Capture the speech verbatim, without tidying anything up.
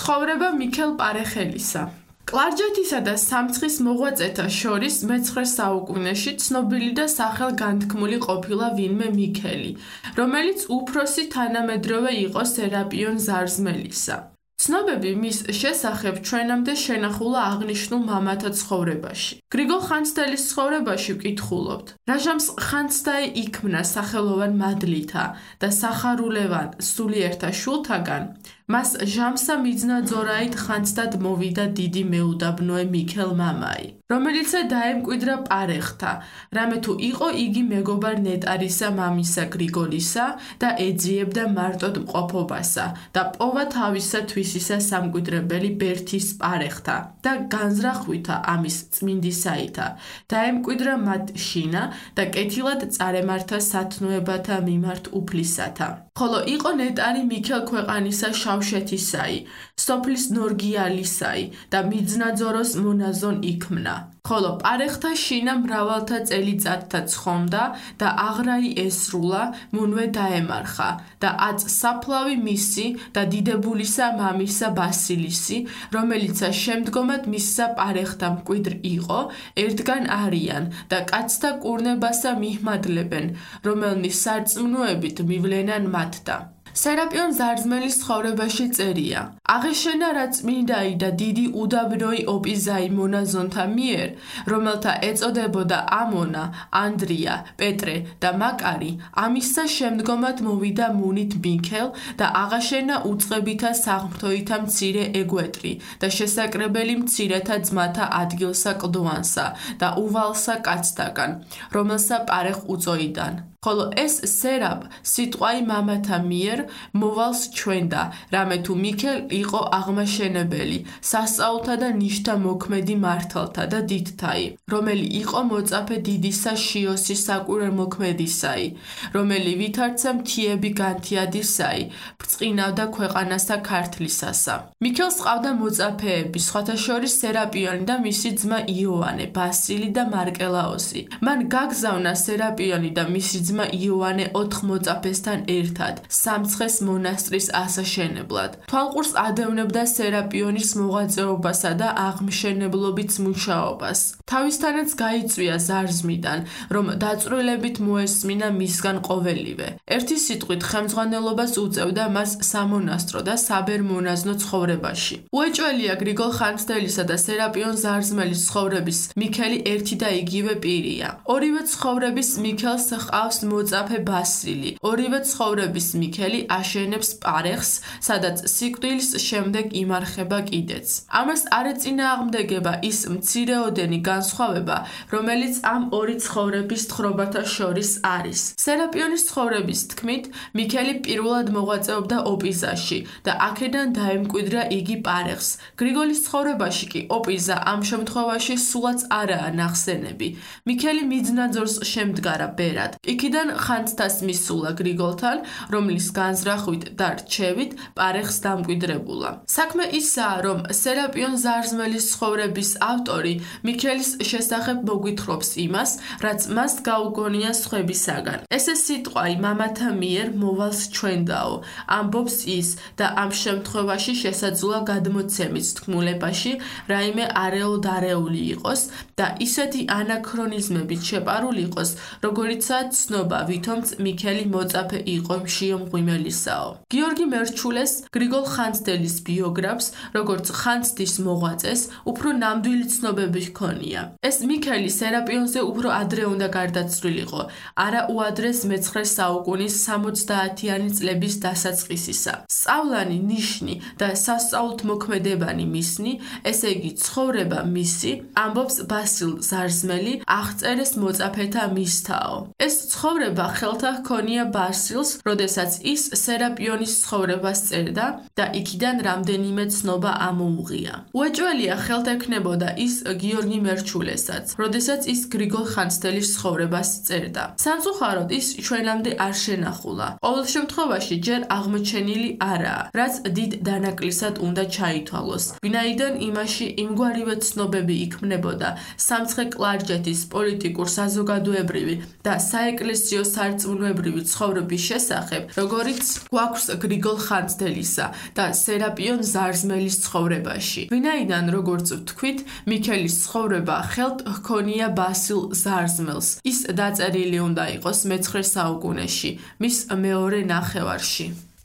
ცხოვრება მიქელ პარეხელისა. კლარჯეთისა და სამცხის მოღვაწეთა შორის მეცხრე საუკუნეში ცნობილი და სახელგანთქმული ყოფილა ვინმე მიქელი, რომელიც უფროსი თანამედროვე იყო სერაპიონ ზარზმელისა. ცნობები მის შესახებ ჩვენამდე შენახულა აღნიშნულ მამათა ცხოვრებაში. გრიგოლ ხანძთელის ცხოვრებაში ვკითხულობთ. რაჟამს ხანძთაი იქმნა სახელოვან მადლითა და სახარულევან სულიერთა შულთაგან, მას ჟამსა მიძნაძორაით ხანძთად მოვიდა დიდი მეუდაბნოე მიქელ მამაი, რომელიცე დაემკვიდრა პარეხთა, რამე თუ იყო იგი მეგობარ ნეტარისა მამისა გრიგოლისა და ეძიებდა მარტოდ მყოფობასა და პოვა თავისა თვისისა სამკვიდრებელი ბერთის პარეხთა და განზრახვითა ამის წმინდისაითა, დაემკვიდრა მათ შინა და კეთილად წარემართა სათნოებათა მიმართ უფლისათა. ხოლო იყო ნეტარი მიქელ ქვეყანისა შავშეთისაი, სოფლის ნორგიალისაი და მიძნაძოროს მონაზონ იქმნა. ხოლო პარეხთა შინა მრავალთა წელიწადთა ცხონდა და აღრაი ესრულა, მუნვე დაემარხა და აწ საფლავი მისი და დიდებულისა მამისა ბასილისი, რომელიცა შემდგომად მისსა პარეხთა მკვიდრ იყო, ერთგან არიან და კაცთა კურნებასა მიჰმადლებენ, რომელნის სარწმუნოებით მივლენან მათთა. სერაპიონ ზარზმელის ცხოვრებაში წერია: აღეშენა რა წმინდაი და დიდი უდაბნოი ოპიზაი მონაზონთა მიერ, რომელთა ეწოდებოდა ამონა, ანდრია, პეტრე და მაკარი, ამისა შემდგომად მოვიდა მუნით მიქელ და აღაშენა უწყებითა საღმრთოითა მცირე ეგვეტრი და შესაკრებელი მცირეთა ძმათა ადგილსა კლდოვანსა და უვალსა კაცთაგან, რომელსა პარეხ უწოიდან. ხოლო ეს სერაპ სიტყვაი მამათა მიერ მოვალს ჩვენდა, რამე თუ მიქელ იყო აღმაშენებელი, სასწაულთა და ნიშთა მოქმედი მართალთა და დიდთაი, რომელი იყო მოწაფე დიდისა შიოსის საკვირველთმოქმედისაი, რომელი ვითარცა მთიები განთიადისაი, ბრწყინავდა ქვეყანასა ქართლისასა. მიქელს ყავდა მოწაფეები, სხვათა შორის სერაპიონი და მისი ძმა იოანე, ბასილი და მარკელაოსი. მან გაგზავნა სერაპიონი და მისი ძმა იოანე ოთხ მოწაფესთან ერთად სამცხეს მონასტრის ასაშენებლად. თვალყურს ადევნებდა სერაპიონის მოღვაწეობასა და აღმშენებლობით მუშაობას. თავისთანაც გაიწვია ზარზმიდან, რომ დაწვრილებით მოესმინა მისგან ყოველივე. ერთი სიტყვით ხელმძღვანელობას უწევდა მას სამონასტრო და საბერ-მონაზნო ცხოვრებაში. უეჭველია გრიგოლ ხანძთელისა და სერაპიონ ზარზმელის ცხოვრების მიქელი ერთი და იგივე პირია. ორივე ცხოვრების მიქელს ჰყავს მოწაფე ბასილი. ორივე ცხოვრების მიქელი აშენებს პარეხს, სადაც სიკვდილის შემდეგ იმარხება კიდეც. ამას არ ეწინააღმდეგება ის მცირეოდენი განსხვავება, რომელიც ამ ორი ცხოვრების თხრობათა შორის არის. სერაპიონის ცხოვრების თქმით, მიქელი პირველად მოღვაწეობდა ოპიზაში და აქედან დაემკვიდრა იგი პარეხს. გრიგოლის ცხოვრებაში კი ოპიზა ამ შემთხვევაში სულაც არაა ნახსენები. მიქელი მიძნაძორს შემდგარა ბერად. იქიდან ხანძთას მისულა გრიგოლთან, რომლის განზრახვით და რჩევით პარეხს დამკვიდრებულა. საქმე ისაა, რომ სერაპიონ ზარზმელის ცხოვრების ავტორი მიქელის შესახებ მოგვითხრობს იმას, რაც მას გაუგონია სხვებისაგან. ესე სიტყვაი მამათა მიერ მოვალს ჩვენდაო, ამბობს ის და ამ შემთხვევაში შესაძლოა გადმოცემის თქმულებაში რაიმე არეულ-დარეული იყოს და ისეთი ანაქრონიზმებით შეპარული იყოს, როგორიცაა ცნობა, ვითომც მიქელი მოწაფე იყო მშიო მღვიმელისაო. გიორგი მერჩულეს გრიგოლ ხანძთელის ბიოგრაფს, როგორც ხანძთის მოღვაწეს, უფრო ნამდვილი ცნობები ჰქონია. ეს მიქელი სერაპიონზე უფრო ადრე უნდა გარდაცვლილიყო, არა უადრეს მეცხრე საუკუნის სამოცდაათიანი წლების დასაწყისისა. სწავლანი, ნიშნი და სასწაულთმოქმედებანი მისნი, ესე იგი ცხოვრება მისი, ამბობს ბასილ ზარზმელი, აღწერეს მოწაფეთა მისთაო. ეს ცხოვრება ხელთა ჰქონია ბასილს, როდესაც ის სერაპიონის ცხოვრებას წერდა და იქიდან რამდენიმე ცნობა ამოუღია. უეჭველია ხელთექნებოდა ის გიორგი მერჩულესაც, როდესაც ის გრიგოლ ხანძთელის ცხოვრებას წერდა. სამწუხაროდ ის ჩვენამდე არ შენახულა. ყოველ შემთხვევაში ჯერ აღმოჩენილი არაა, რაც დიდ დანაკლისად უნდა ჩაითვალოს. ვინაიდან იმაში იმგვარივე ცნობები იქმნებოდა სამცხე-კლარჯეთის პოლიტიკურ საზოგადოებრივი და საეკლესიო საეკლესიო სარწმუნოებრივი ცხოვრების შესახებ, როგორიც გვაქვს გრიგოლ ხანძთელისა და სერაპიონ ზარზმელის ცხოვრებაში. ვინაიდან, როგორც ვთქვით, მიქელის ცხოვრება ხელთ ჰქონია ბასილ ზარზმელს. ის დაწერილი უნდა იყოს მეცხრე საუკუნეში, მის მეორე ნახევარში.